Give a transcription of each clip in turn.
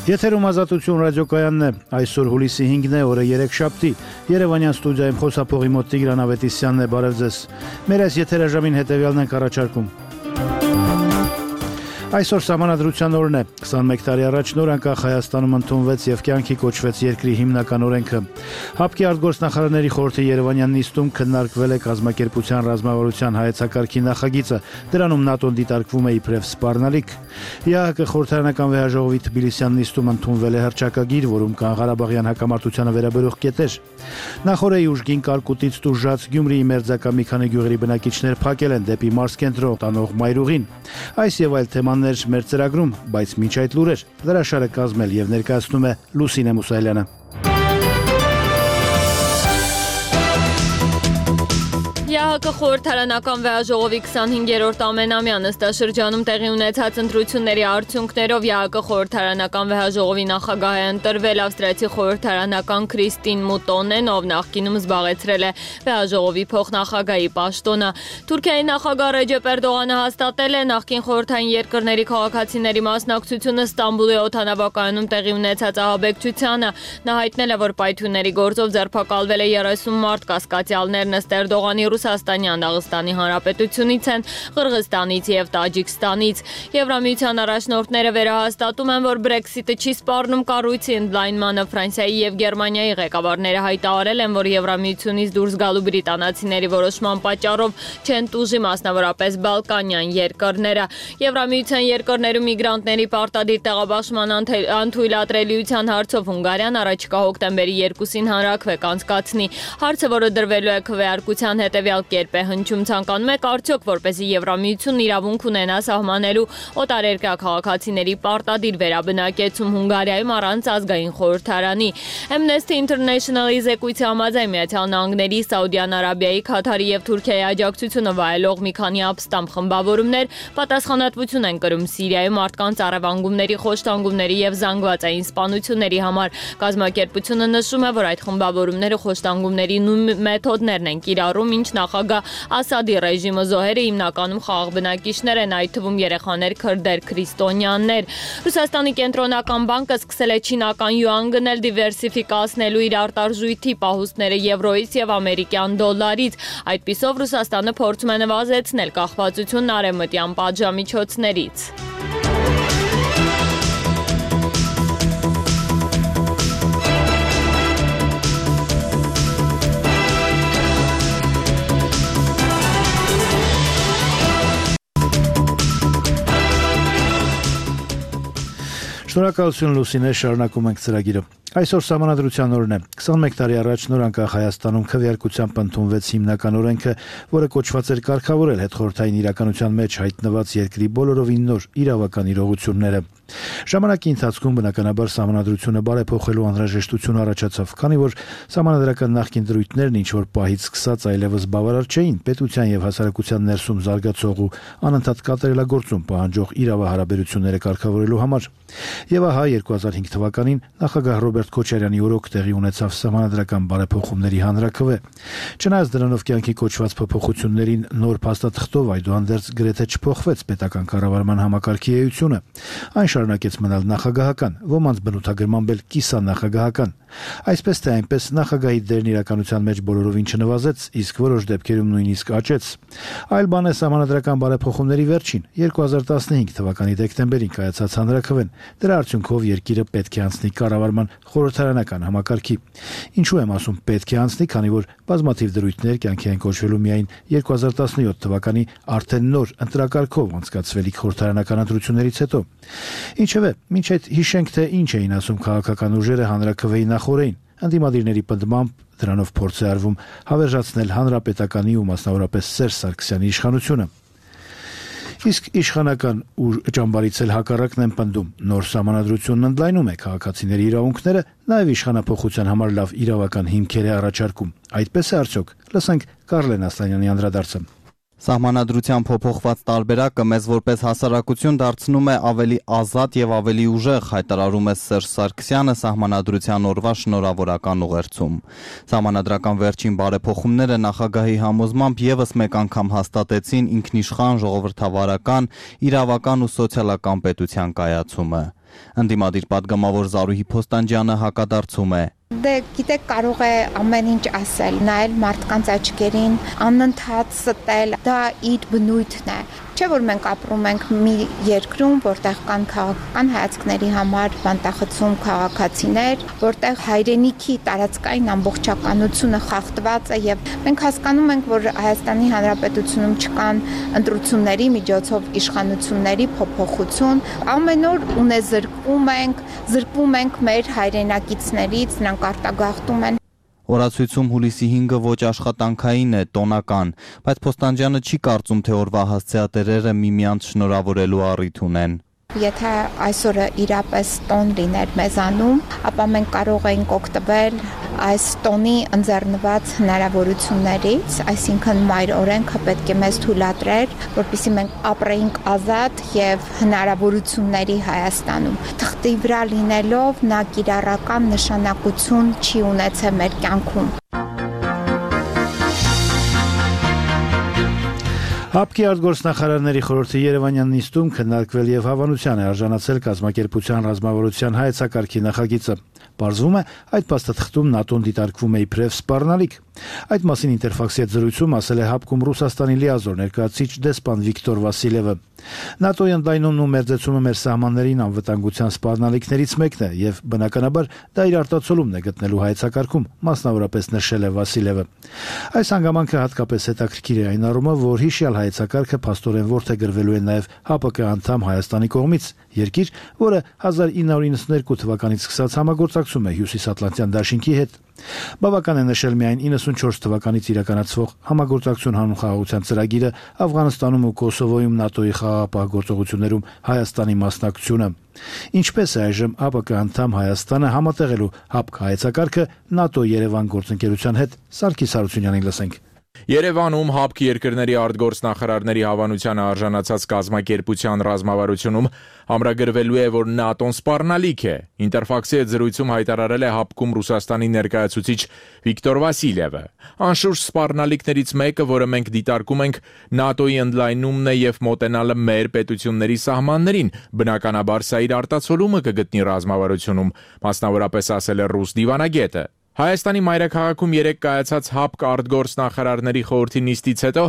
Եթերում Ազատություն ռադիոկայանն է, այսօր հուլիսի 5-ն է, օրը 3 շաբթի, Երևանյան ստուդիայում խոսափողի մոտ Տիգրան Ավետիսյանն է, բարև ձեզ, մեր այս եթերաժամին հետևյալն ենք առաջարկում. Այսօր Սահմանադրության օրն է, 21 տարի առաջ նոր անկախ Հայաստանում ընդունվեց և կյանքի կոչվեց երկրի հիմնական օրենքը։ ՀԱՊԿ-ի արտգործնախարարների խորհրդի Երևանյան նիստում քննարկվել է կազմակերպության ռազմավարության հայեցակարգի նախագիծը, դրանում ՆԱՏՕ-ն դիտարկվում է իբրև սպառնալիք։ ԵԱՀԿ խորհրդարանական վեհաժողովի թբիլիսյան նիստում ընդունվել է հռչակագիր, որում կան ղարաբաղյան հակամարտությանը վերաբերող կետեր։ Նախօրեի ուժգին կարկուտից տուժած Գյումրիի մերձակա մի քանի գյուղերի բնակիչներ փակել են դեպի մարզկենտրոն տանող մայրուղին։ Այս եւ այլ թեմաներ մեր ծրագրում, բայց միջ այդ լուրեր հրաշալը կազմել եւ ներկայացնում է Լուսինե Մուսայելյանը։ ԵԱՀԿ խորհրդարանական վեհաժողովի 25-րդ ամենամյա նստաշրջանում տեղի ունեցած ընտրությունների արդյունքներով ԵԱՀԿ խորհրդարանական վեհաժողովի նախագահ է ընտրվել ավստրիացի խորհրդարանական Քրիստին Մուտոնեն, ով նախկինում զբաղեցրել է վեհաժողովի փոխնախագահի պաշտոնը։ Թուրքիայի նախագահ Ռեջեփ Էրդողանը հաստատել է նախկին խորհրդային երկրների քաղաքացիների մասնակցությունը Ստամբուլի օդանավակայանում տեղի ունեցած ահաբեկչությանը։ Նա հայտնել է, որ պայթյունների գործով ձերբակալվել է 30 մարդ, կասկածյալներն ըստ Էրդողանի Ռուսաստանյան Դաղստանի Հանրապետությունից են, Ղրղստանից և Տաջիկստանից։ Եվրամիության առաջնորդները վերահաստատում են, որ Brexit-ը չի սպառնում կառույցի ընդլայնմանը։ Ֆրանսիայի և Գերմանիայի ղեկավարները հայտարարել են, որ Եվրամիությունից դուրս գալու բրիտանացիների որոշման պատճառով չեն տուժի մասնավորապես Բալկանյան երկրները։ Եվրամիության երկրներում միգրանտների պարտադիր տեղաբաշխման անթույլատրելիության հարցով Հունգարիան առաջիկա հոկտեմբերի 2-ին հանրաքվե կանցկացնի։ Հարցը, որը դրվելու է քվեարկության հետևյալ կերպ է հնչում, ցանկանում եք արդյոք, որպեսզի Եվրամիությունն իրավունք ունենա սահմանելու օտարերկրյա քաղաքացիների պարտադիր վերաբնակեցում Հունգարիայում առանց ազգային խորհրդարանի։ Amnesty International-ի զեկույցի համաձայն Միացյալ Նահանգների, Սաուդյան Արաբիայի, Քաթարի և Թուրքիայի աջակցությունը վայելող մի քանի ապստամբ խմբավորումներ պատասխանատվություն են կրում Սիրիայում մարդկանց առևանգումների, խոշտանգումների և զանգվածային սպանությունների համար։ Կազմակերպությունը նշում է, որ այդ խմբավորումները խոշտանգումների նույն մեթոդներն են կիրառում, ինչ նախագահ Ասադի ռեժիմը զոհերը հիմնականում խաղաղ բնակիչներ են, այդ թվում երեխաներ, քրդեր, քրիստոնյաներ։ Ռուսաստանի կենտրոնական բանկը սկսել է չինական յուան գնել, դիվերսիֆիկացնելու իր արտարժույթի պահուստները եվրոից և ամերիկյան դոլարից։ Այդպիսով Ռուսաստանը փորձում է նվազեցնել կախվածությունն արևմտյան պատժամիջոցներից։ Շնորհակալություն Լուսինե, շարունակում ենք ծրագիրը։ Այսօր Սահմանադրության օրն է, 21 տարի առաջ նոր անկախ Հայաստանում քվեարկությամբ ընդունվեց հիմնական օրենքը, որը կոչված էր կարգավորել հետխորհրդային իրականության մեջ հայտնված երկրի բոլորովին նոր իրավական իրողությունները։ Ժամանակի ընթացքում բնականաբար Սահմանադրությունը բարեփոխելու անհրաժեշտություն առաջացավ, քանի որ սահմանադրական նախկին դրույթներն ինչ-որ պահից սկսած այլևս բավարար չէին պետության և հասարակության ներսում զարգացող ու անընդհատ կատարելագործում պահանջող իրավահարաբերությունները կարգավորելու համար։ Եվ ահա 2005 թվականին նախագահ Ռոբերտ Քոչարյանի օրոք տեղի ունեցավ սահմանադրական բարեփոխումների հանրաքվե։ Չնայած դրանով կյանքի կոչված փոփոխություններին նոր փաստաթղթով այդուհանդերձ գրեթե չփոխվեց պետական կառավարման համակարգի էությունը։ Այն շարունակեց մնալ նախագահական, ոմանց բնութագրմամբ էլ կիսանախագահական։ Այսպես թե այնպես նախագահի դերն իրականության մեջ բոլորովին չնվազեց, իսկ որոշ դեպքերում նույնիսկ աճեց։ Այլ բան է սահմանադրական բարեփոխումների վերջին 2015 թվականի դեկտեմբերին կայացած հանրաքվեն։ Դրա արդյունքով երկիրը պետք է անցնի կառավարման խորհրդարանական համակարգի։ Ինչու եմ ասում պետք է անցնի, քանի որ բազմաթիվ դրույթներ կյանքի են կոչվելու միայն 2017 թվականի արդեն նոր ընտրակարգով անցկացվելիք խորհրդարանական ընտրություններից հետո։ Ինչևէ, մինչ այդ հիշենք, թե ինչ էին ասում քաղաքական ուժերը հանրաքվեի նախօրեին։ Ընդդիմադիրների պնդմամբ դրանով փորձ է արվում հավերժացնել հանրապետականի ու մասնավորապես Սերժ Սարգսյանի իշխանությունը։ Իսկ իշխանական ճամբարից էլ հակառակն են պնդում։ Նոր սահմանադրությունն ընդլայնում է քաղաքացիների իրավունքները, նաև իշխանափոխության համար լավ իրավական հիմքեր է առաջարկում։ Այդպես է արդյոք։ Լսենք Կարլեն Ասլանյանի անդրադարձը։ Սահմանադրության փոփոխված տարբերակը մեզ որպես հասարակություն դարձնում է ավելի ազատ եւ ավելի ուժեղ, հայտարարում է Սերժ Սարգսյանը Սահմանադրության օրվա շնորհավորական ուղերձում։ Սահմանադրական վերջին բարեփոխումները նախագահի համոզմամբ եւս մեկ անգամ հաստատեցին ինքնիշխան ժողովրդավարական, իրավական ու սոցիալական պետության կայացումը։ Ընդդիմադիր պատգամավոր Զարուհի Փոստանջյանը հակադարձում է. Դե գիտեք, կարող է ամեն ինչ ասել, նայել մարդկանց աչքերին, անընդհատ ստել, դա իր բնույթն է։ Չէ՞ որ մենք ապրում ենք մի երկրում, որտեղ կան քաղաքական հայացքների համար բանտախցում քաղաքացիներ, որտեղ հայրենիքի տարածքային ամբողջականությունը խախտված է եւ մենք հասկանում ենք, որ Հայաստանի Հանրապետությունում չկան ընտրությունների միջոցով իշխանությունների փոփոխություն, ամեն օր զրկվում ենք մեր հայրենակիցներից, նրանք արտագաղթում են։ Օրացույցում հուլիսի 5-ը ոչ աշխատանքային է, տոնական, բայց Փոստանջյանը չի կարծում, թե օրվա հասցեատերերը միմյանց շնորհավորելու առիթ ունեն։ Եթե այսօրը իրապես տոն լիներ մեզանում, ապա մենք կարող էինք օգտվել այս տոնի ընձեռնված հնարավորություններից, այսինքն մայր օրենքը պետք է մեզ թույլատրեր, որպեսզի մենք ապրեինք ազատ եւ հնարավորությունների Հայաստանում։ Թղթի վրա լինելով նա կիրառական նշանակություն չի ունեցել մեր կյանքում։ ՀԱՊԿ-ի արտգործնախարարների խորհրդի Երևանյան նիստում քննարկվել եւ հավանության է արժանացել կազմակերպության ռազմավարության հայեցակարգի նախագիծը։ Պարզվում է, այդ փաստաթղթում ՆԱՏՕ-ն դիտարկվում է իբրև սպառնալիք։ Այդ մասին Ինտերֆաքսի հետ զրույցում ասել է ՀԱՊԿ-ում Ռուսաստանի լիազոր ներկայացուցիչ դեսպան Վիկտոր Վասիլևը։ ՆԱՏՕ-ի ընդլայնումն ու մերձեցումը մեր սահմաններին անվտանգության սպառնալիքներից մեկն է եւ բնականաբար դա իր արտացոլումն է գտնելու հայեցակարգում, մասնավորապես նշել է Վասիլևը։ Այս հանգամանքը հատկապես հետաքրքիր է այն առումով, որ հիշյալ հայեցակարգը փաստորեն որդեգրվելու է նաեւ ՀԱՊԿ անդամ Հայաստանի կողմից, երկիր, որը 1992 թվականից սկսած համագործակցում է Հյուսիսատլանտյան դաշինքի հետ։ Բավական է նշել միայն 94 թվականից իրականացվող համագործակցություն հանուն խաղաղության ծրագիրը Աֆղանստանում ու Կոսովոյում ՆԱՏՕ-ի խաղաղապահ գործողություններում Հայաստանի մասնակցությունը։ Ինչպես է այժմ ՀԱՊԿ անդամ Հայաստանը համատեղելու ՀԱՊԿ հայեցակարգը ՆԱՏՕ-Երևան գործընկերության հետ, Սարգիս Հարությունյանին լսենք։ Երևանում ՀԱՊԿ երկրների արտգործնախարարների հավանությանը արժանացած կազմակերպության ռազմավարությունում ամրագրվելու է, որ ՆԱՏՕ-ն սպառնալիք է։ Ինտերֆաքսի հետ զրույցում հայտարարել է ՀԱՊԿ-ում Ռուսաստանի ներկայացուցիչ Վիկտոր Վասիլևը։ Անշուշտ սպառնալիքներից մեկը, որը մենք դիտարկում ենք, ՆԱՏՕ-ի ընդլայնումն է եւ մոտենալը մեր պետությունների սահմաններին։ Բնականաբար սա իր արտացոլումը կգտնի ռազմավարությունում, մասնավորապես ասել է ռուս դիվանագետը։ Հայաստանի մայրաքաղաքում երեկ կայացած ՀԱՊԿ արտգործնախարարների խորհրդի նիստից հետո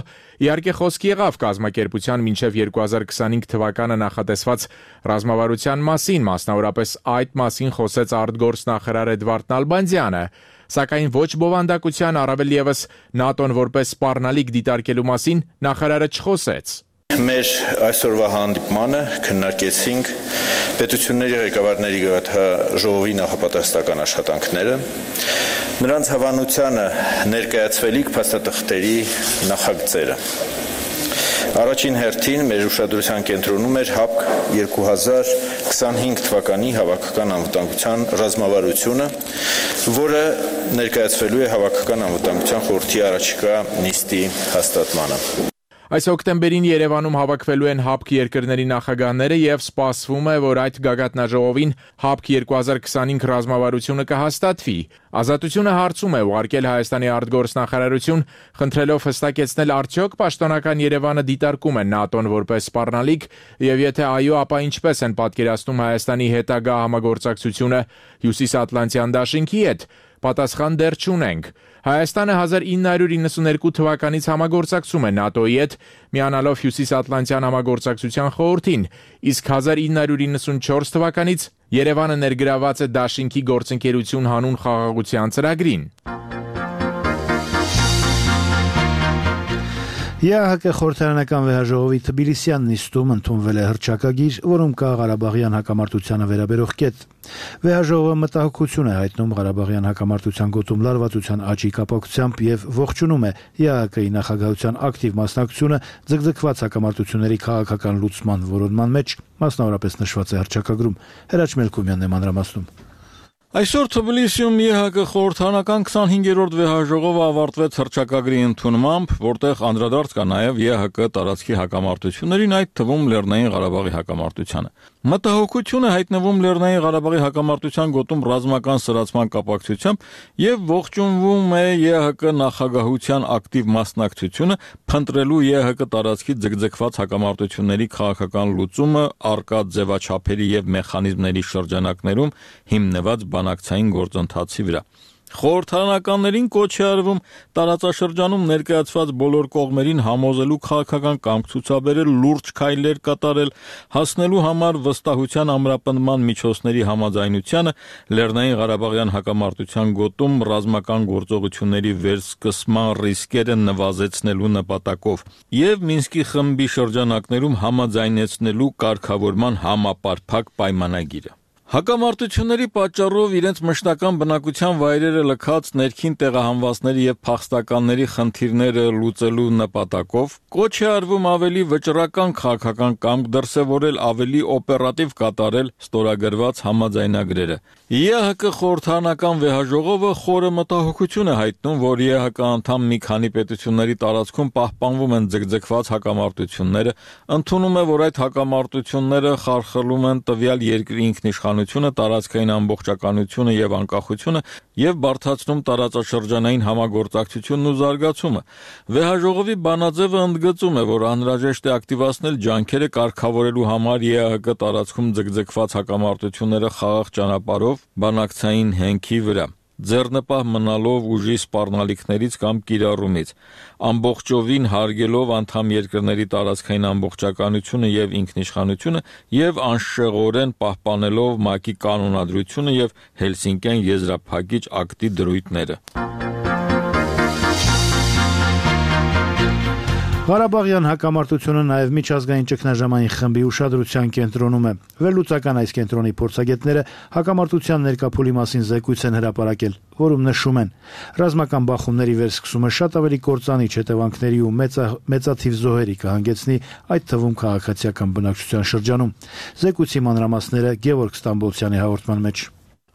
իհարկե խոսք եղավ կազմակերպության մինչև 2025 թվականը նախատեսված ռազմավարության մասին, մասնավորապես այդ մասին խոսեց արտգործնախարար Էդվարդ Նալբանդյանը, սակայն ոչ բովանդակության, առավել ևս ՆԱՏՕ-ն որպես սպառնալիք դիտարկելու մասին նախարարը չխոսեց։ Մեր այսօրվա հանդիպմանը քննարկեցինք պետությունների ղեկավարների ժողովի նախապատրաստական աշխատանքները, նրանց հավանությանը ներկայացվելիք փաստաթղթերի նախագծերը։ Առաջին հերթին մեր ուշադրության կենտրոնում էր ՀԱՊԿ 2025 թվականի հավաքական անվտանգության ռազմավարությունը, որը ներկայացվելու է հավաքական անվտանգության խորհրդի առաջիկա նիստի հաստատմանը։ Այս հոկտեմբերին Երևանում հավաքվելու են ՀԱՊԿ երկրների նախագահները եւ սպասվում է, որ այդ գագաթնաժողովին ՀԱՊԿ 2025 ռազմավարությունը կհաստատվի։ Ազատությունը հարցում է ուղարկել Հայաստանի արտգործնախարարություն, խնդրելով հստակեցնել արդյոք պաշտոնական Երևանը դիտարկում է ՆԱՏՕ-ն որպես սպառնալիք եւ եթե այո, ապա ինչպես են պատկերացնում Հայաստանի հետագա համագործակցությունը Հյուսիսատլանտյան դաշինքի հետ։ Պատասխան դեռ չունենք։ Հայաստանը 1992 թվականից համագործակցում է ՆԱՏՕ-ի հետ, միանալով Հյուսիսատլանտյան համագործակցության խորհրդին, իսկ 1994 թվականից Երևանը ներգրաված է դաշինքի գործընկերություն հանուն խաղաղության ծրագրին։ ԵԱՀԿ խորհրդարանական վեհաժողովի Թբիլիսյան նիստում ընդունվել է հռչակագիր, որում կա Ղարաբաղյան հակամարտությանը վերաբերող կետ։ Վեհաժողովը մտահոգություն է հայտնում Ղարաբաղյան հակամարտության գոտում լարվածության աճի կապակցությամբ եւ ողջունում է ԵԱՀԿ-ի նախագահության ակտիվ մասնակցությունը ձգձգված հակամարտությունների քաղաքական լուծման որոնման մեջ, մասնավորապես նշված է հռչակագրում։ Հրաչ Մելքումյանն է մանրամասնում։ Այսօր Թբիլիսիում ԵՀԿ խորհրդարանական 25-րդ վեհաժողովը ավարտվեց հռչակագրի ընդունմամբ, որտեղ անդրադարձ կա նաև ԵՀԿ տարածքի հակամարտություններին, այդ թվում Լեռնային Ղարաբաղի հակամարտությանը։ Մտահոգություն է հայտնվում Լեռնային Ղարաբաղի հակամարտության գոտում ռազմական սրացման կապակցությամբ եւ ողջունվում է ԵՀԿ նախագահության ակտիվ մասնակցությունը փնտրելու ԵՀԿ տարածքի ձգձգված հակամարտությունների քաղաքական լուծումը արկա ձևաչափերի եւ մեխանիզմների շրջանակներում հիմնված բանակցային գործընթացի վրա։ Խորհրդարանականներին կոչ է արվում տարածաշրջանում ներկայացված բոլոր կողմերին համոզելու քաղաքական կամք ցուցաբերել, լուրջ քայլեր կատարել, հասնելու համար վստահության ամրապնդման միջոցների համաձայնությանը, Լեռնային Ղարաբաղյան հակամարտության գոտում ռազմական գործողությունների վերսկսման ռիսկերը նվազեցնելու նպատակով եւ Մինսկի խմբի շրջանակներում համաձայնեցնելու կարգավորման համապարփակ պայմանագիրը։ Հակամարտությունների պատճառով իրենց մշտական բնակության վայրերը լքած ներքին տեղահանվածների եւ փախստականների խնդիրները լուծելու նպատակով կոչ է արվում ավելի վճռական քաղաքական կամք դրսևորել, ավելի օպերատիվ կատարել ստորագրված համաձայնագրերը։ ԵՀԿ խորհրդարանական վեհաժողովը խորը մտահոգություն է հայտնում, որ ԵՀԿ անդամ մի քանի պետությունների տարածքում պահպանվում են ձգձգված հակամարտությունները, ընդունում է, որ այդ հակամարտությունները խարխլում են տվյալ երկրի ինքնիշխանությունը, տարածքային ամբողջականությունը եւ անկախությունը եւ բարդացնում տարածաշրջանային համագործակցությունն ու զարգացումը։ Վեհաժողովի բանաձևը ընդգծում է, որ անհրաժեշտ է ակտիվացնել ջանքերը կարգավորելու համար ԵՀԿ տարածքում ձգձգված հակամարտությունները խաղաղ ճանապարհով բանակցային հենքի վրա, ձեռնպահ մնալով ուժի սպառնալիքներից կամ կիրառումից, ամբողջովին հարգելով անդամ երկրների տարածքային ամբողջականությունը եւ ինքնիշխանությունը եւ անշեղորեն պահպանելով ՄԱԿ-ի կանոնադրությունը եւ Հելսինկյան եզրափակիչ ակտի դրույթները։ Ղարաբաղյան հակամարտությունը նաև միջազգային ճգնաժամային խմբի ուշադրության կենտրոնում է։ Վերլուծական այս կենտրոնի փորձագետները հակամարտության ներկա փուլի մասին զեկույց են հրապարակել, որում նշում են. ռազմական բախումների վերսկսումը շատ ավելի կործանիչ հետևանքների ու մեծաթիվ զոհերի կհանգեցնի, այդ թվում քաղաքացիական բնակչության շրջանում։ Զեկույցի մանրամասները Գևորգ Ստամբոլցյանի հաղորդման մեջ։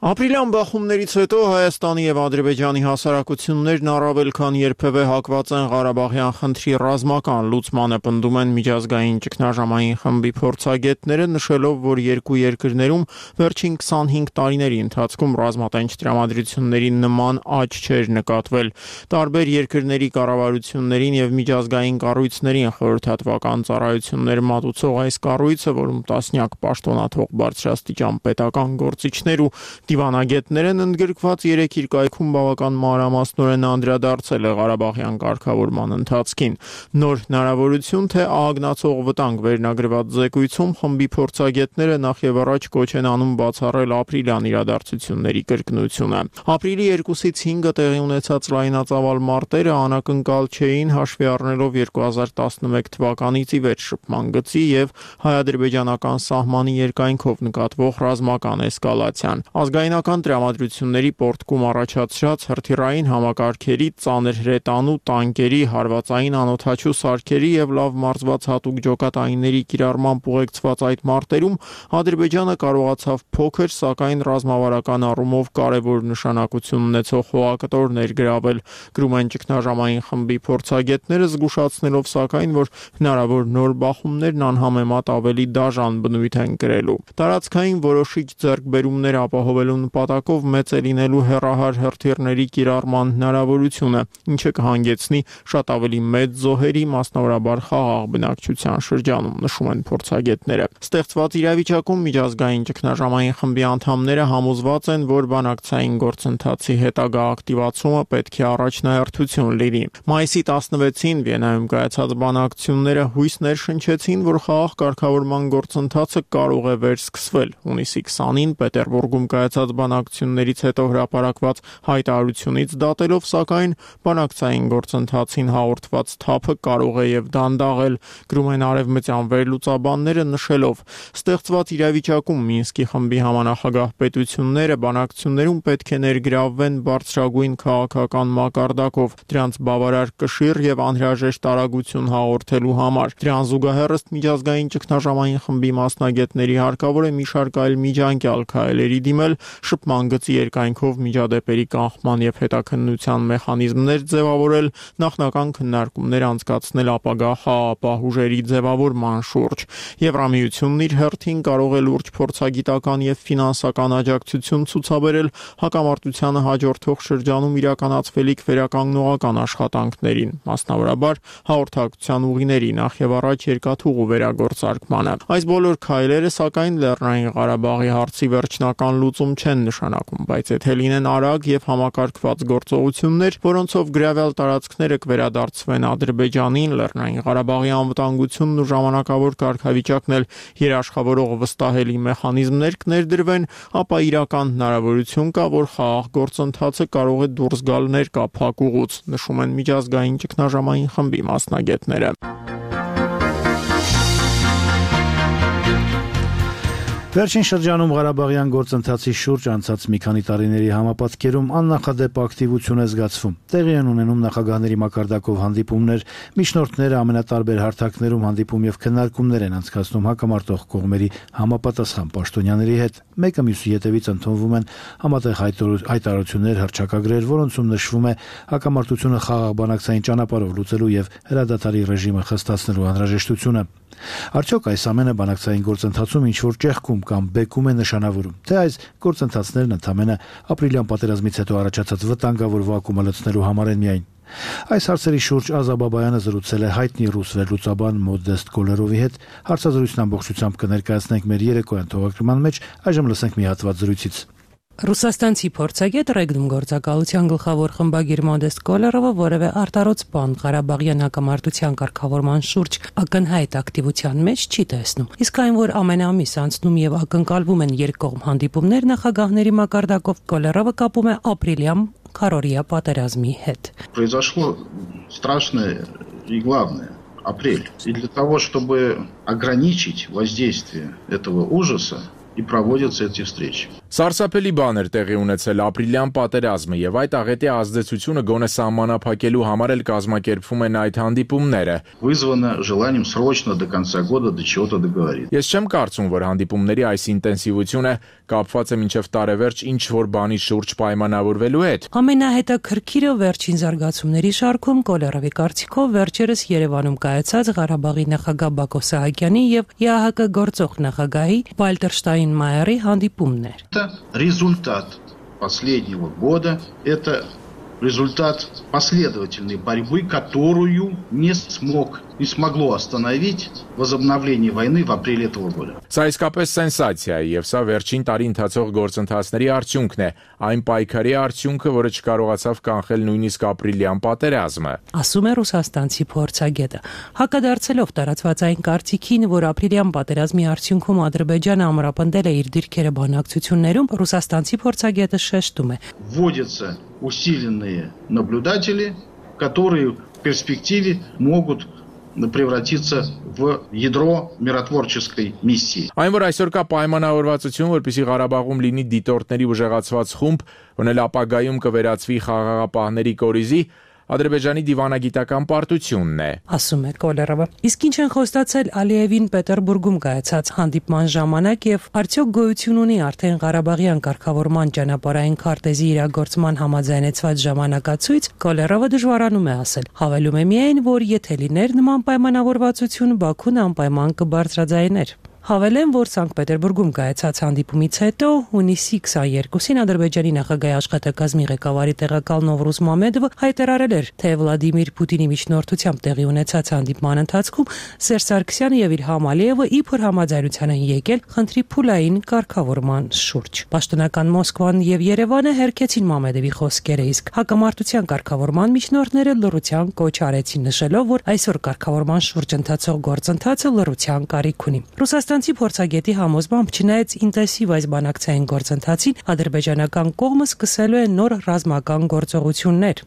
Ապրիլյան բախումներից հետո Հայաստանի եւ Ադրբեջանի հասարակություններն առավել քան երբևէ հակված են Ղարաբաղյան խնդրի ռազմական լուծմանը, պնդում են միջազգային ճգնաժամային խմբի փորձագետները, նշելով, որ երկու երկրներում վերջին 25 տարիների ընթացքում ռազմատենչ տրամադրությունների նման աճ չէր նկատվել։ Տարբեր երկրների կառավարություններին եւ միջազգային կառույցներին խորհրդատվական ծառայություններ մատուցող այս կառույցը, որում տասնյակ պաշտոնաթող բարձրաստիճան պետական գործիչներ ու դիվանագետներ են ընդգրկված, երեք իր կայքում բավական մանրամասնորեն անդրադարձել է Ղարաբաղյան կարգավորման ընթացքին։ Նոր հնարավորություն, թե ահագնացող վտանգ վերնագրված զեկույցում խմբի փորձագետները նախ եւ առաջ կոչ են անում բացառել ապրիլյան իրադարձությունների կրկնությունը։ Ապրիլի 2-ից 5-ը տեղի ունեցած լայնածավալ մարտերը անակնկալ չէին, հաշվի առնելով 2011 թվականից ի վեր շփման գծի եւ հայ-ադրբեջանական սահմանի երկայնքով նկատվող ռազմական էսկալացիան։ Ազգայնական տրամադրությունների պորտկում առաջացրած հրթիռային համակարգերի, ծանր հրետանու, տանկերի, հարվածային անօդաչու սարքերի եւ լավ մարզված հատուկ ջոկատայինների կիրառմամբ ուղեկցված այդ մարտերում Ադրբեջանը կարողացավ փոքր, սակայն ռազմավարական առումով կարևոր նշանակություն ունեցող հողակտորներ գրավել, գրում են ճգնաժամային խմբի փորձագետները, զգուշացնելով սակայն, որ հնարավոր նոր բախումներն անհամեմատ ավելի դաժան բնույթ են կրելու։ Տարածքային որոշիչ ձեռքբերումներ ապահովելու նպատակով մեծ է լինելու հեռահար հրթիռների կիրառման հնարավորությունը, ինչը կհանգեցնի շատ ավելի մեծ զոհերի, մասնավորաբար խաղաղ բնակչության շրջանում, նշում են փորձագետները։ Ստեղծված իրավիճակում միջազգային ճգնաժամային խմբի անդամները համոզված են, որ բանակցային գործընթացի հետագա ակտիվացումը պետք է առաջնահերթություն լինի։ Մայիսի 16-ին Վիեննայում կայացած բանակցությունները հույս ներշնչեցին, որ խաղաղ կարգավորման գործընթացը կարող է վերսկսվել։ Հունիսի 20-ին Պետերբուրգում կայացած բանակցություններից հետո հրապարակված հայտարարությունից դատելով, սակայն բանակցային գործընթացին հաղորդված թափը կարող է եւ դանդաղել, գրում են արևմտյան վերլուծաբանները, նշելով. ստեղծված իրավիճակում Մինսկի խմբի համանախագահ պետությունները բանակցություններում պետք է ներգրավվեն բարձրագույն քաղաքական մակարդակով, դրանց բավարար կշիռ եւ անհրաժեշտ արագություն հաղորդելու համար։ Դրան զուգահեռ ըստ միջազգային ճգնաժամային խմբի մասնագետների հարկավոր է մի շարք այլ միջանկյալ քայլերի դիմել, շփման գծի երկայնքով միջադեպերի կանխման եւ հետաքննության մեխանիզմներ ձևավորել, նախնական քննարկումներ անցկացնել ապագա հապահուժերի ձևավորման շուրջ։ Եվրամիությունն իր հերթին կարող է լուրջ փորձագիտական եւ ֆինանսական աջակցություն ցուցաբերել հակամարտությանը հաջորդող շրջանում իրականացվելիք վերականգնողական աշխատանքներին, մասնավորաբար հաղորդակցության ուղիների նախ եւ առաջ երկաթուղու վերագործարկմանը։ Այս բոլոր քայլերը սակայն Լեռնային Ղարաբաղի հարցի վերջնական լուծում չեն նշանակում, բայց եթե լինեն արագ եւ համակարգված գործողություններ, որոնցով գրավել տարածքները կվերադարձվեն Ադրբեջանին, Լեռնային Ղարաբաղի անվտանգությունն ու ժամանակավոր կարգավիճակն էլ երաշխավորող վստահելի մեխանիզմներ կներդրվեն, ապա իրական հնարավորություն կա, որ խաղաղ գործընթացը կարող է դուրս գալ ներկա փակուղուց, նշում են միջազգային ճգնաժամային խմբի մասնագետները։ Վերջին շրջանում Ղարաբաղյան գործընթացի շուրջ անցած մի քանի տարիների համապատկերում աննախադեպ ակտիվություն է զգացվում։ Տեղի են ունենում նախագահների մակարդակով հանդիպումներ, միջնորդները ամենատարբեր հարթակներում հանդիպում եւ քննարկումներ են անցկացնում հակամարտող կողմերի համապատասխան պաշտոնյաների հետ։ Մեկը մյուսի հետևից ընդունվում են համատեղ հայտարարություններ, հռչակագրեր, որոնցում նշվում է հակամարտությունը խաղաղ բանակցային ճանապարհով լուծելու եւ հրադադարի ռեժիմը խստացնելու անհրաժեշտությունը։ Արդյոք այս ամենը բանակցային գործընթացում ինչ-որ ճեղքում կամ բեկում է նշանավորում, թե այս գործընթացներն ընդամենը ապրիլյան պատերազմից հետո առաջացած վտանգավոր վակումը լցնելու համար են միայն։ Այս հարցերի շուրջ Ազաբաբայանը զրուցել է հայտնի ռուս վերլուծաբան Մոդեստ Կոլերովի հետ, հարցազրույցն ամբողջությամբ կներկայացնենք մեր երեկոյան թողարկման մեջ, այժմ լսենք մի հատված զրույցից։ Ռուսաստանցի փորձագետ Ռեգնում գործակալության գլխավոր խմբագիր Մոդեստ Կոլերովը որևէ արտարոց բան Ղարաբաղյան հակամարտության կարգավորման շուրջ ակնհայտ ակտիվության մեջ չի տեսնում։ Իսկ այն, որ ամեն ամիս անցնում եւ ակնկալվում են երկկողմ հանդիպումներ նախագահների մակարդակով, Կոլերովը կապում է ապրիլյան քարորիա պատերազմի հետ։ Произошло страшное и главное – апрель. И для того, чтобы ограничить воздействие этого ужаса, и проводятся эти встречи. Սարսափելի բան էր տեղի ունեցել ապրիլյան պատերազմը եւ այդ աղետի ազդեցությունը գոնե սահմանափակելու համար էլ կազմակերպվում են այդ հանդիպումները։ Вызвано желанием срочно до конца года до чего-то договориться. Ես չեմ կարծում, որ հանդիպումների այս ինտենսիվությունը կապված է մինչև տարեվերջ ինչ որ բանի շուրջ պայմանավորվելու հետ։ Ամենահետաքրքիրը վերջին զարգացումների շարքում Կոլերովի կարծիքով վերջերս Երևանում կայացած Ղարաբաղի նախագահ Բակո Սահակյանի եւ ԵԱՀԿ գործող նախագահի Վալտեր Մայերի հանդիպումն էր։ Это результат последнего года, это результат последовательной борьбы, которую не смогло остановить возобновление войны в апреле этого года. Սա իսկապես սենսացիա է եւ սա վերջին տարի ընթացող գործընթացների արդյունքն է, այն պայքարի արդյունքը, որը չկարողացավ կանխել նույնիսկ ապրիլյան պատերազմը։ Ասում է ռուսաստանցի փորձագետը։ Հակադարձելով տարածված այն կարծիքին, որ ապրիլյան պատերազմի արդյունքում Ադրբեջանը ամրապնդել է իր դիրքերը բանակցություններում, ռուսաստանցի փորձագետը շեշտում է. Вводятся усиленные наблюдатели, которые в перспективе могут превратиться в ядро миротворческой миссии. Այն որ այսօր կա պայմանավորվածություն, որպեսզի Ղարաբաղում լինի դիտորդների ուժեղացված խումբ, որն էլ ապագայում կվերածվի խաղաղապահների կորիզի, Ադրբեջանի դիվանագիտական պարտությունն է, ասում է Կոլերովը։ Իսկ ինչ են խոստացել Ալիևին Պետերբուրգում կայացած հանդիպման ժամանակ եւ արդյոք գոյություն ունի արդեն Ղարաբաղյան կարգավորման ճանապարհային քարտեզի իրագործման համաձայնեցված ժամանակացույց, Կոլերովը դժվարանում է ասել։ Հավելում է միայն, որ եթե լիներ նման պայմանավորվածություն, Բաքուն անպայման կբարձրաձայներ։ Հավելեմ, որ Սանկտ Պետերբուրգում կայացած հանդիպումից հետո հունիսի 22-ին Ադրբեջանի նախագահի աշխատակազմի ղեկավարի տեղակալ Նովրուզ Մամեդովը հայտարարել էր, թե Վլադիմիր Պուտինի միջնորդությամբ տեղի ունեցած հանդիպման ընթացքում Սերժ Սարգսյանը եւ Իլհամ Ալիևը իբր համաձայնության են եկել խնդրի փուլային կարգավորման շուրջ։ Պաշտոնական Մոսկվան եւ Երևանը հերքեցին Մամեդովի խոսքերը, իսկ հակամարտության կարգավորման միջնորդները լռության կոչ արեցին, նշելով, որ այսօր կարգավորման շուրջ ընթացող գործընթացը լռության կարիք ունի։ Ռուսաստանցի փորձագետի համոզմամբ չնայած ինտենսիվ այս բանակցային գործընթացին, ադրբեջանական կողմը սկսելու է նոր ռազմական գործողություններ։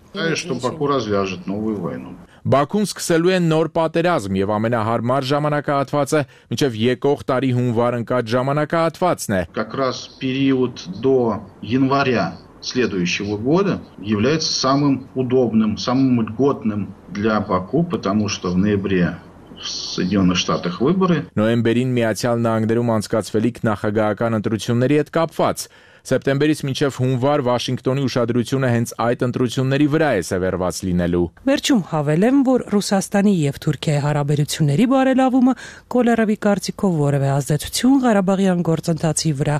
Բաքուն սկսելու է նոր պատերազմ եւ ամենահարմար ժամանակահատվածը մինչեւ եկող տարի հունվար ընկած ժամանակահատվածն է։ Как раз период до января следующего года является самым удобным, самым льготным для Баку, потому что в ноябре в Соединенных Штатах выборы. Նոյեմբերին Միացյալ Նահանգներում անցկացվելիք նախագահական ընտրությունների հետ կապված Սեպտեմբերից մինչև հունվար Վաշինգտոնի ուշադրությունը հենց այդ ընտրությունների վրա է սևեռված լինելու։ Վերջում հավելեմ, որ Ռուսաստանի եւ Թուրքիայի հարաբերությունների բարելավումը Կոլերովի կարծիքով որևէ ազդեցություն Ղարաբաղյան գործընթացի վրա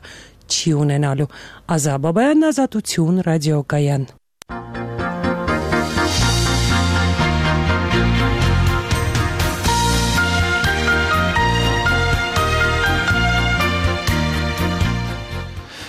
չի ունենալու։ Ազա Բաբայան, Ազատություն, Ռադիոկայան։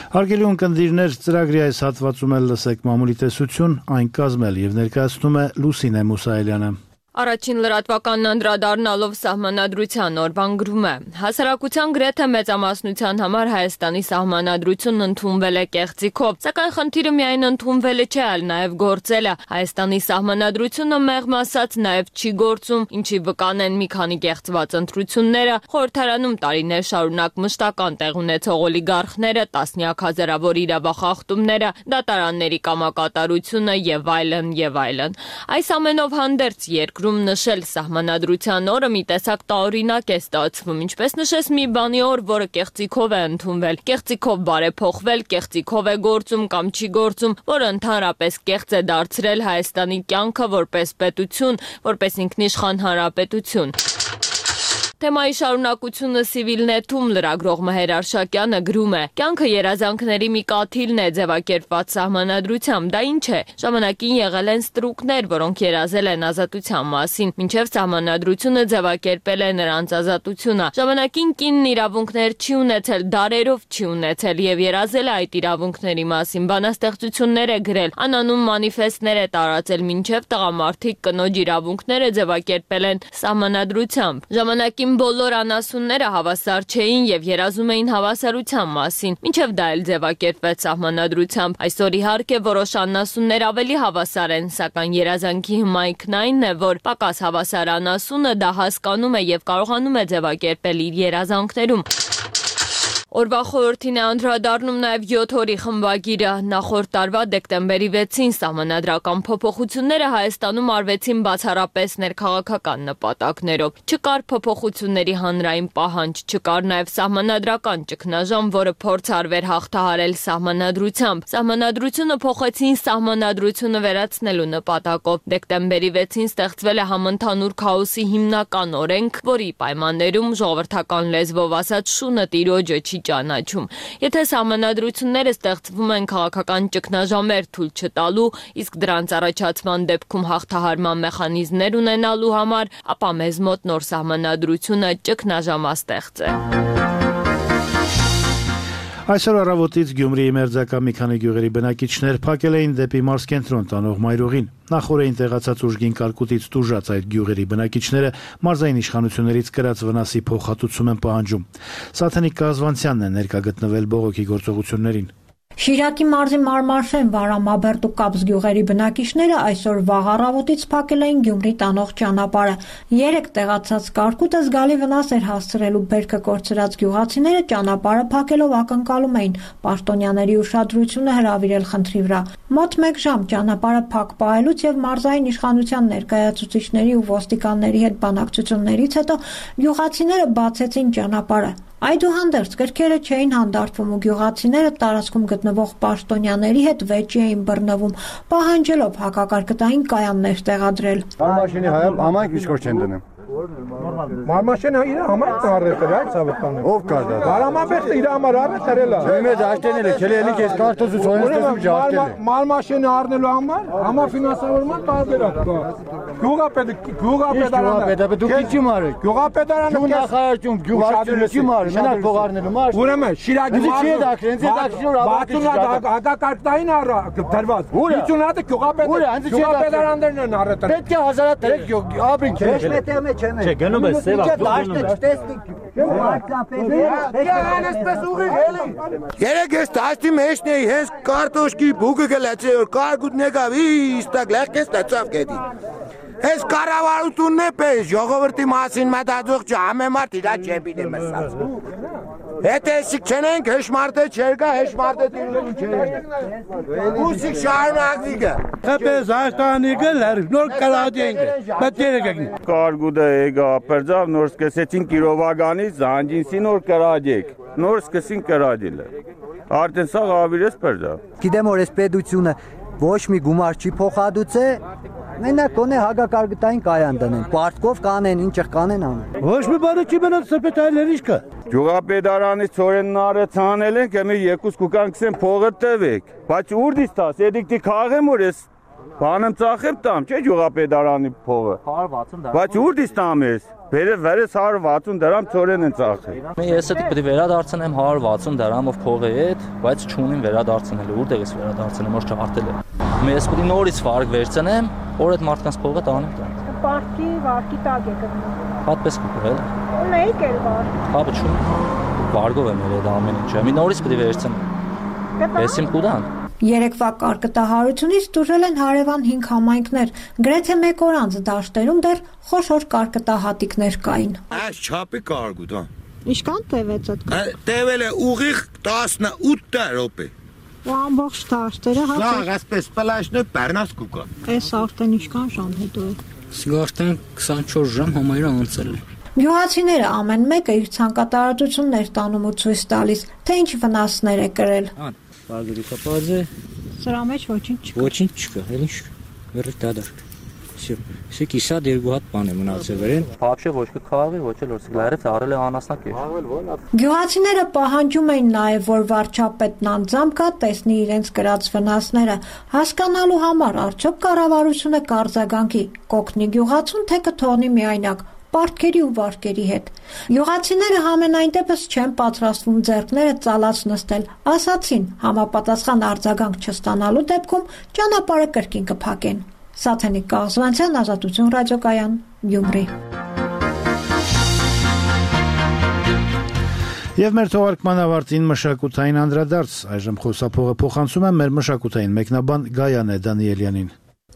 Հարգելի ունկնդիրներ, ծրագրի այս հատվածում էլ լսեք մամուլի տեսություն, այն կազմել եւ ներկայացնում է Լուսինե Մուսայելյանը։ Առաջին լրատվականն անդրադառնալով սահմանադրության օրվան գրում է. Հասարակության գրեթե մեծամասնության համար Հայաստանի սահմանադրությունն ընդունվել է կեղծիքով, սակայն խնդիրը միայն ընդունվելը չէ, այլ նաև գործելը։ Հայաստանի սահմանադրությունը մեղմ ասած նաև չի գործում, ինչի վկան են մի քանի կեղծված ընտրությունները, խորհրդարանում տարիներ շարունակ մշտական տեղ ունեցող օլիգարխները, տասնյակ հազարավոր իրավախախտումները, դատարանների կամակատարությունը եւ այլն եւ այլն։ Այս ամենով հանդերձ երկրում նշել սահմանադրության օրը մի տեսակ տարօրինակ է ստացվում, ինչպես նշես մի բանի օր, որը կեղծիքով է ընդունվել, կեղծիքով բարեփոխվել, կեղծիքով է գործում կամ չի գործում, որը ընդհանրապես կեղծ է դարձրել Հայաստանի կյանքը որպես պետություն, որպես ինքնիշխան հանրապետություն։ Թեմայի շարունակությունը Civilnet-ում լրագրող Մհեր Արշակյանը գրում է. Կյանքը երազանքների մի կաթիլն է ձևակերպված սահմանադրությամբ, դա ինչ է։ Ժամանակին եղել են ստրուկներ, որոնք երազել են ազատության մասին, մինչև սահմանադրությունը ձևակերպել է նրանց ազատությունը։ Ժամանակին կինն իրավունքներ չի ունեցել, դարերով չի ունեցել եւ երազել է այդ իրավունքների մասին, բանաստեղծություններ է գրել, անանուն մանիֆեստներ է տարածել, մինչև տղամարդիկ կնոջ իրավունքները ձևակերպել են սահմանադրությամբ։ Ժամանակին բոլոր անասունները հավասար չէին եւ երազում էին հավասարության մասին, մինչև դա էլ ձևակերպվեց սահմանադրությամբ։ Այսօր իհարկե որոշ անասուններ ավելի հավասար են, սակայն երազանքի հմայքն այն է, որ պակաս հավասար անասունը դա հասկանում է եւ կարողանում է ձևակերպել իր երազանքներում։ Օրվա խորհրդին է անդրադառնում նաև 7 օրի խմբագիրը։ Նախորդ տարվա դեկտեմբերի 6-ին սահմանադրական փոփոխությունները Հայաստանում արվեցին բացառապես ներքաղաքական նպատակներով։ Չկար փոփոխությունների հանրային պահանջ, չկար նաև սահմանադրական ճգնաժամ, որը փորձ արվեր հաղթահարել սահմանադրությամբ։ Սահմանադրությունը փոխեցին սահմանադրությունը վերացնելու նպատակով։ Դեկտեմբերի 6-ին ստեղծվել է համընդհանուր քաոսի հիմնական օրենք, որի պայմաններում ժողովրդական լեզվով ասած շունը տիրոջը չի ճանաչում։ Եթե սահմանադրությունները ստեղծվում են քաղաքական ճգնաժամեր թույլ չտալու, իսկ դրանց առաջացման դեպքում հաղթահարման մեխանիզմներ ունենալու համար, ապա մեզ մոտ նոր սահմանադրությունը ճգնաժամաստեղծ է։ Այսօր առավոտից Գյումրիի մերձակա մի քանի գյուղերի բնակիչներ փակել էին դեպի մարզկենտրոն տանող մայրուղին։ Նախորդ տեղացած ուժգին կարկուտից տուժած այդ գյուղերի բնակիչները մարզային իշխանություններից կրած վնասի փոխհատուցում են պահանջում։ Սաթենիկ Կազվանցյանն է ներկա գտնվել բողոքի գործողություններին։ Շիրակի մարզի Մարմարշեն, Վարամաբերդ ու Կապս գյուղերի բնակիչները այսօր վաղ առավոտից փակել էին Գյումրի տանող ճանապարհը։ 3 տեղացած կարկուտը զգալի վնաս էր հասցրելու բերքը կորցրած գյուղացիները ճանապարհը փակելով ակնկալում էին պաշտոնյաների ուշադրությունը հրավիրել խնդրի վրա։ Մոտ 1 ժամ ճանապարհը փակ պահելուց եւ մարզային իշխանության ներկայացուցիչների ու ոստիկանների հետ բանակցություններից հետո գյուղացիները բացեցին ճանապարհը։ Այդուհանդերձ գրքերը չէին հանդարտվում ու գյուղացիները տարածքում գտնվող պաշտոնյաների հետ վեճի էին բռնվում, պահանջելով հակակարգային կայաններ տեղադրել։ Մարմաշինի համայնք իշխոր չեն դնում։ Մարմաշենը իր համար առեցել է ցավոքանը։ Ով կար դա։ Վարամաբերդը իր համար առեցել է։ Ջեմեջ աշտենել է, քելելիք էս կարտոզու ծոյնստում ջաշտել է։ Մարմաշենը առնելու համար համաֆինանսավորման տարբերակ կա։ Գյուղապետարանը դուք ինչի մարեք։ Գյուղապետարանը նախարարություն գյուղարությունը չի մարի, մենակ փող առնելու մարդ։ Ուրեմն Շիրակի չի դակրեն, դակշնոր հակակարգային դրված։ 50-ը գյուղապետարաններն են առեցել։ Պետք է հազարատ դրեք ապրին քեզ։ Չէ, գնում է սև Երեք ես դաշտի մեջն էի, հենց կարտոշկի բուգը գլացի, որ կարգուտ նեկավ, իստակ լեղկես տացավ կետի։ Ես կառավարությունն է պես, ժողովրդի մասին մտածող չհամեմարդ իրա չեպին է մսած։ Եթե եսիք չենենք, հեշմարդը չեր գա, հեշմարդը տիրում չեր։ Ուսիք շարունակվի գա։ Թպես Հայաստանի գլեր, նոր կրադի ենք, բետերը գգնի։ Կարգուդը եգա ապերձավ, նոր սկսեցին կիրովագանից, զանջինսի նոր կրադի եք, նոր սկսին կրադիլը։ արդեն սա ավիրես պերձա։ Գիտեմ որ այս պետությունը ոչ մի գումար չի փոխադուցե, մենակ կոնե հագակարգային կայան դնեն, պարտքով կանեն, ինչ կանեն անեն։ Ոչ մի բանը չի մնաց սպետայլեր ինչ կա։ Գյուղապետարանից ծորենն արեց հանել ենք, εμεί երկուս կուկան քսեն փողը տվեք, բայց ուր դիստաս, եդիկտի քաղեմ որ ես բանեմ ծախեմ տամ, չէ գյուղապետարանի փողը։ 160 դրամ։ Բայց ուր դիստամ ես։ Վերես 160 դրամ ծորեն են ծախել։ Ես էդ պետք է վերադարձնեմ 160 դրամով փողի հետ, բայց չունեմ վերադարձնելու, որտեղ ես վերադարձնեմ, որ չհարտել է։ Ես պետք է նորից վարկ վերցնեմ, որ այդ մարդկանց փողը տանեմ տան։ Պարտքի վարկի տակ է գնում։ Պատպես կուղել։ Ունեիք էլ վարկ։ Հապա չունեմ։ Վարգով եմ երեդ ամեն ինչը։ Մի նորից պետք է վերցնեմ։ Եսիմ կուդան։ Երեկվա կարկտահարությունից տուժել են հարևան 5 համայնքներ, գրեթե մեկ օր անց դաշտերում դեռ խոշոր կարկտահատիկներ կային։ Այս չափի կարգուտ, հա։ Ինչքան տևեց այդ։ Տևել է ուղիղ 18 րոպե։ Ու ամբողջ դաշտերը Սա այսպես պլաշնը բեռնած կուկա։ Էս արդեն ինչքան ժամ հետո է։ Սա արդեն 24 ժամ համայրը անցել է։ Գյուղացիները ամեն մեկը իր ցանկատարածություններ տանում ու ցույց տալիս, թե ինչ վնասներ է կրել։ Բաղերի կապազը Սրա մեջ ոչինչ չկա։ Ոչինչ չկա, էլի վերջ դադար։ Սա կիսա դերգու հատ բան է մնացել վերեն։ Вообще ոչ մի քաղաքի, ոչ էլ օրսկլարից առել է անասնակ է։ Գյուղացիները պահանջում էին նաև, որ վարչապետն անձամբ գա տեսնի իրենց կրած վնասները, հասկանալու համար արդյոք կառավարությունը կարձագանքի կօգնի գյուղացուն, թե կթողնի միայնակ պարտքերի ու վարկերի հետ։ Գյուղացիները համենայն դեպս չեն պատրաստվում ձեռքները ծալած նստել, ասացին համապատասխան արձագանք չստանալու դեպքում ճանապարհը կրկին կփակեն։ Սաթենիկ Կաղզվանցյան, Ազատություն ռադիոկայան, Գյումրի։ Եվ մեր թողարկման ավարտին մշակութային անդրադարձ, այժմ խոսափողը փոխանցում եմ մեր մշակութային մեկնաբան Գայանե Դանիելյանին։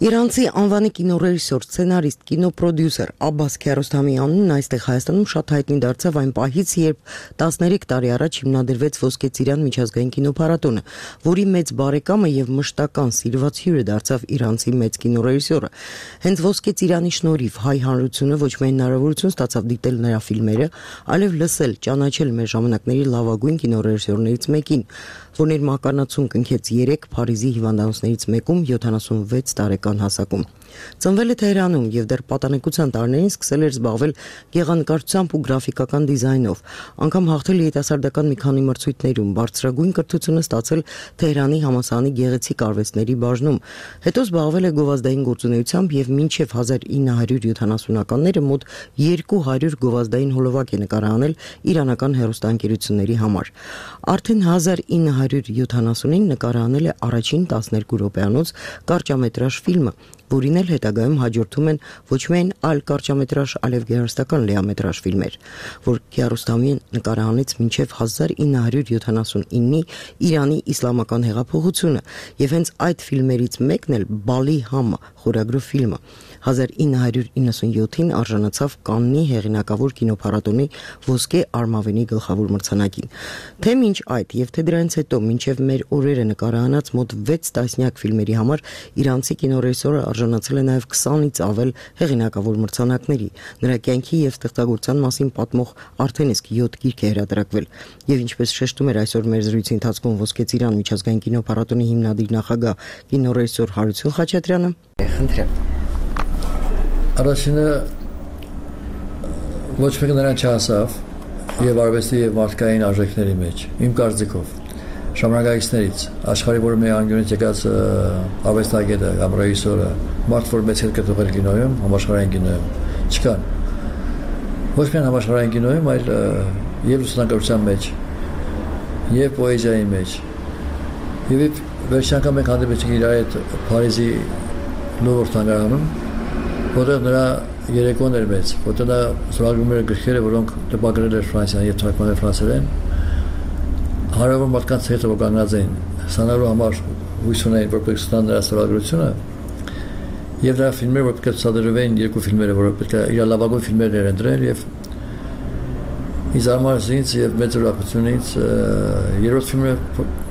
Իրանցի անվանի կինոռեժիսոր, սցենարիստ, կինոպրոդյուսեր Աբբաս Քիարոստամյանն այստեղ Հայաստանում շատ հայտնի դարձավ այն պահից, երբ 13 տարի առաջ հիմնադրվեց Ոսկե ծիրան միջազգային կինոփառատոնը, որի մեծ բարեկամը եւ մշտական սիրված հյուրը դարձավ իրանցի մեծ կինոռեժիսորը։ Հենց Ոսկե ծիրանի շնորհիվ հայ հանրությունը ոչ միայն հնարավորություն ստացավ դիտել նրա ֆիլմերը, այլև լսել, ճանաչել մեր ժամանակների լավագույն կինոռեժիսորներից մեկին, որն իր մականացուն կնքեց 3 Փարիզի հիվանդանոցներից մեկում 76 տարեկան հասակում։ Ծնվել է Թեհրանում եւ դեռ պատանեկության տարիներին սկսել էր զբաղվել գեղանկարչությամբ ու գրաֆիկական դիզայնով, անգամ հաղթել երիտասարդական մի քանի մրցույթներում, բարձրագույն կրթությունը ստացել Թեհրանի համալսարանի գեղեցիկ արվեստների բաժնում, հետո զբաղվել է գովազդային գործունեությամբ եւ մինչեւ 1970-ականները մոտ 200 գովազդային հոլովակ է նկարահանել իրանական հեռուստաընկերությունների համար։ Արդեն 1970-ին նկարահանել է առաջին 12 րոպեանոց կարճամետրաժ ֆիլմը, որին էլ հետագայում հաջորդում են ոչ միայն այլ կարճամետրաժ, այլև գեղարվեստական լիամետրաժ ֆիլմեր, որ Քիարոստամին նկարահանեց մինչև 1979-ի Իրանի իսլամական հեղափոխությունը, եւ հենց այդ ֆիլմերից մեկն էլ Բալի Համը խորագրով ֆիլմը 1997-ին արժանացավ Կաննի հեղինակավոր կինոփառատոնի ոսկե արմավենի գլխավոր մրցանակին։ Թե մինչ այդ եւ թե դրանից հետո մինչեւ մեր օրերը նկարահանած մոտ 6 տասնյակ ֆիլմերի համար իրանցի կինոռեժիսորը արժանացել է նաև 20-ից ավել հեղինակավոր մրցանակների։ Նրա կյանքի եւ ստեղծագործության մասին պատմող արդեն իսկ 7 գիրք է հրատարակվել։ Եվ ինչպես շեշտում էր այսօր մեր զրույցի ընթացքում Ոսկե ծիրան միջազգային կինոփառատոնի հիմնադիր նախագահ կինոռեժիսոր Հարություն Խաչատրյանը, խնդրեմ։ Առաջինը ոչ մեկ նրան չհասավ եւ արվեստի եւ մարդկային արժեքների մեջ, իմ կարծիքով։ Ժամանակակիցներից աշխարհի որը մի անգյունից եկած արվեստագետը կամ ռեժիսորը մարդ որ մեծ հետ կտողել կինոյում, համաշխարհային կինոյում չկան։ Ոչ միայն համաշխարհային կինոյում, այլ եւ լուսանկարչության մեջ, եւ պոեզիայի մեջ։ Եվ վերջին անգամ մենք հանդիպեցինք իր հետ Փարիզի Լուվր թանգարանում, որտեղ նրա երեկոն էր մեծ, որտեղ նա զբաղվում էր գրքերը, որոնք տպագրել էր Ֆրանսիան եւ թարգմանել ֆրանսերեն։ Հարյուրավոր մարդկանց հետ որ կանգնած էին, սանալու համար հույս ունեին, որ պետք է ստանան նրա ստորագրությունը, եւ նրա ֆիլմերը, որ պետք է ցուցադրվեին, երկու ֆիլմերը, որ պետք է իր լավագույն ֆիլմերն էր ընտրել, եւ ինձ համար ինձ եւ մեծ ուրախությունից երրորդ ֆիլմը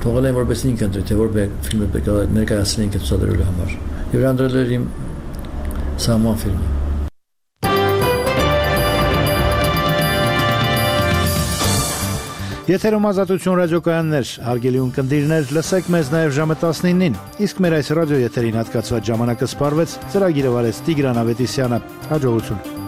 թողել են որպես ինքն ընտրի, թե որ ֆիլմը պետք է ներկայացնեն ինքը ցուցադրելու համար։ Եվ ընտրել էր իմ Սաման ֆիլմը։ Եթերում Ազատություն ռադիոկայաններ, հարգելի ունկնդիրներ, լսեք մեզ նաև ժամը 19-ին, իսկ մեր այս ռադիո եթերին հատկացված ժամանակը սպառվեց, ծրագիրը վարեց Տիգրան Ավետիսյանը, հաջողություն։